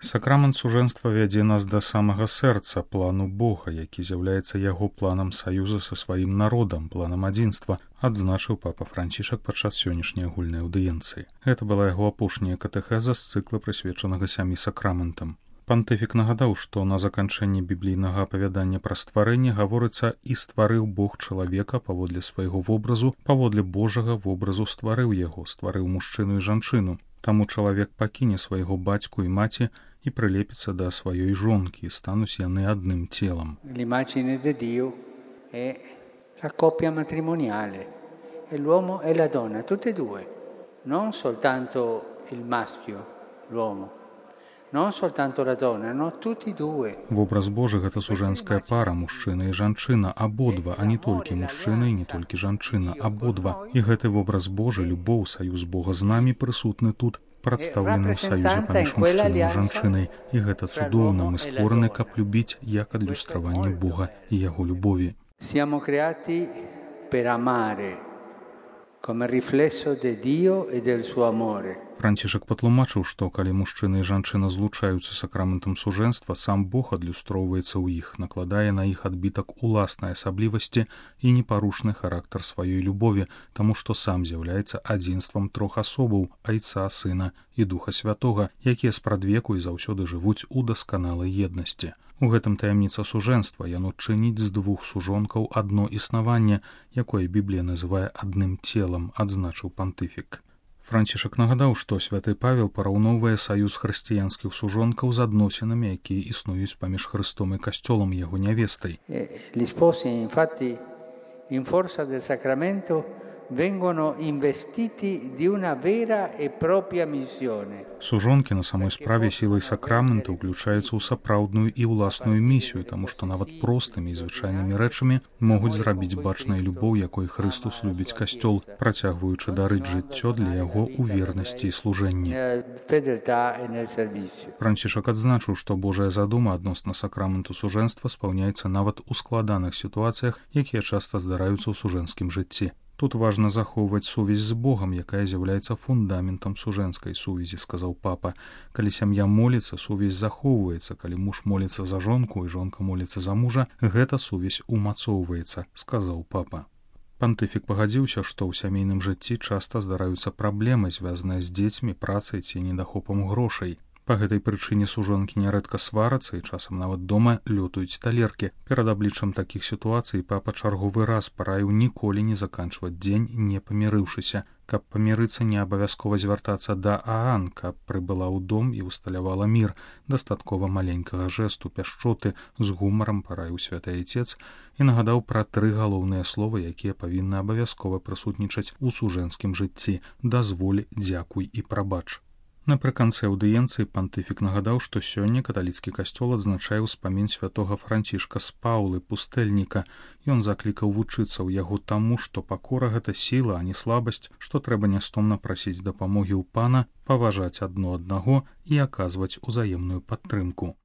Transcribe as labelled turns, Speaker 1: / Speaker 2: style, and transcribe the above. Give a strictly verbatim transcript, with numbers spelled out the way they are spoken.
Speaker 1: Сакрамент сужэнства вядзе нас да самага сэрца, плану Бога, які з'яўляецца яго планам саюза са сваім народам, планам адзінства, адзначыў папа Францішак падчас сённяшняй агульнай аўдыенцыі. Гэта была яго апошняя катэхеза з цыкла, прысвечанага сямі сакраментам. Пантыфік нагадаў, што на заканчэнні біблійнага апавядання пра стварэнне гаворыцца «І стварыў Бог чалавека паводле свайго вобразу, паводле Божага вобразу стварыў яго, стварыў мужчыну і жанчыну. Таму чалавек пакіне свайго бацьку і маці і прылепіцца да сваёй жонкі, і стануць яны адным целам».
Speaker 2: L'immagine di Dio è la coppia matrimoniale, è l'uomo e la donna, tutte e due, non soltanto il maschio, l'uomo. Non soltanto la donna, no, tutti due.
Speaker 1: Вобраз Божы гэта сужэнская пара, мужчына і жанчына, абодва, а не толькі мужчына і не толькі жанчына, абодва. І гэты вобраз Божы, любоў, саюз Бога з намі прысутны тут, прадстаўлены ў саюзе паміж мужчынай і жанчынай. І гэта цудоўна, мы створаны, каб любіць, як адлюстраванне Бога і яго любові.
Speaker 2: Siamo creati per amare come riflesso di Dio e del suo amore.
Speaker 1: Францішак патлумачыў, што калі мужчына і жанчына злучаюцца сакраментам сужэнства, сам Бог адлюстроўваецца ў іх, накладае на іх адбітак уласнай асаблівасці і непарушны характар сваёй любові, таму што сам з'яўляецца адзінствам трох асобаў – Айца, Сына і Духа Святога, якія спрадвеку і заўсёды жывуць у дасканалай еднасці. У гэтым таямніца сужэнства, яно чыніць з двух сужонкаў адно існаванне, якое Біблія называе адным целам, адзначыў пантыфік. Францішак нагадаў, што святы Павел параўноўвае саюз хрысціянскіх сужонкаў з адносінамі, якія існуюць паміж Хрыстом і касцёлам яго нявестай.
Speaker 2: Gli sposi, infatti, in forza del sacramento vengono investiti di una vera e propria missione.
Speaker 1: Сужонкі на самой справе сілай сакрамента ўключаюцца ў сапраўдную і ўласную місію, таму што нават простымі і звычайнымі рэчамі могуць зрабіць бачнай любоў, якой Хрыстус любіць касцёл, працягваючы дарыць жыццё для яго ў вернасці і служэнні. Францішак адзначыў, што Божая задума адносна сакраменту сужэнства спаўняецца нават у складаных сітуацыях, якія часта здараюцца ў сужэнскім жыцці. Тут важна захоўваць сувязь з Богам, якая з'яўляецца фундаментам сужэнскай сувязі, сказаў папа. Калі сям'я моліцца, сувязь захоўваецца, калі муж моліцца за жонку і жонка моліцца за мужа, гэта сувязь умацоўваецца, сказаў папа. Пантыфік пагадзіўся, што ў сямейным жыцці часта здараюцца праблемы, звязаныя з дзецьмі, працай ці недахопам грошай. Па гэтай прычыне сужонкі нярэдка сварацца і часам нават дома лётаюць талеркі. Перад абліччам такіх сітуацый папа чарговы раз параіў ніколі не заканчваць дзень, не памірыўшыся. Каб памірыцца, не абавязкова звяртацца да Аан, каб прыбыла ў дом і усталявала мір. Дастаткова маленькага жэсту, пяшчоты, з гумарам параіў святы Айцец і нагадаў пра тры галоўныя словы, якія павінны абавязкова прысутнічаць у сужэнскім жыцці: дазволь, дзякуй і прабач. Напрыканцы аўдыенцыі пантыфік нагадаў, што сёння каталіцкі касцёл адзначае ўспамін святога Францішка з Паўлы, пустэльніка. Ён заклікаў вучыцца ў яго таму, што пакора гэта сіла, а не слабасць, што трэба нястомна прасіць дапамогі ў Пана, паважаць адно аднаго і аказваць узаемную падтрымку.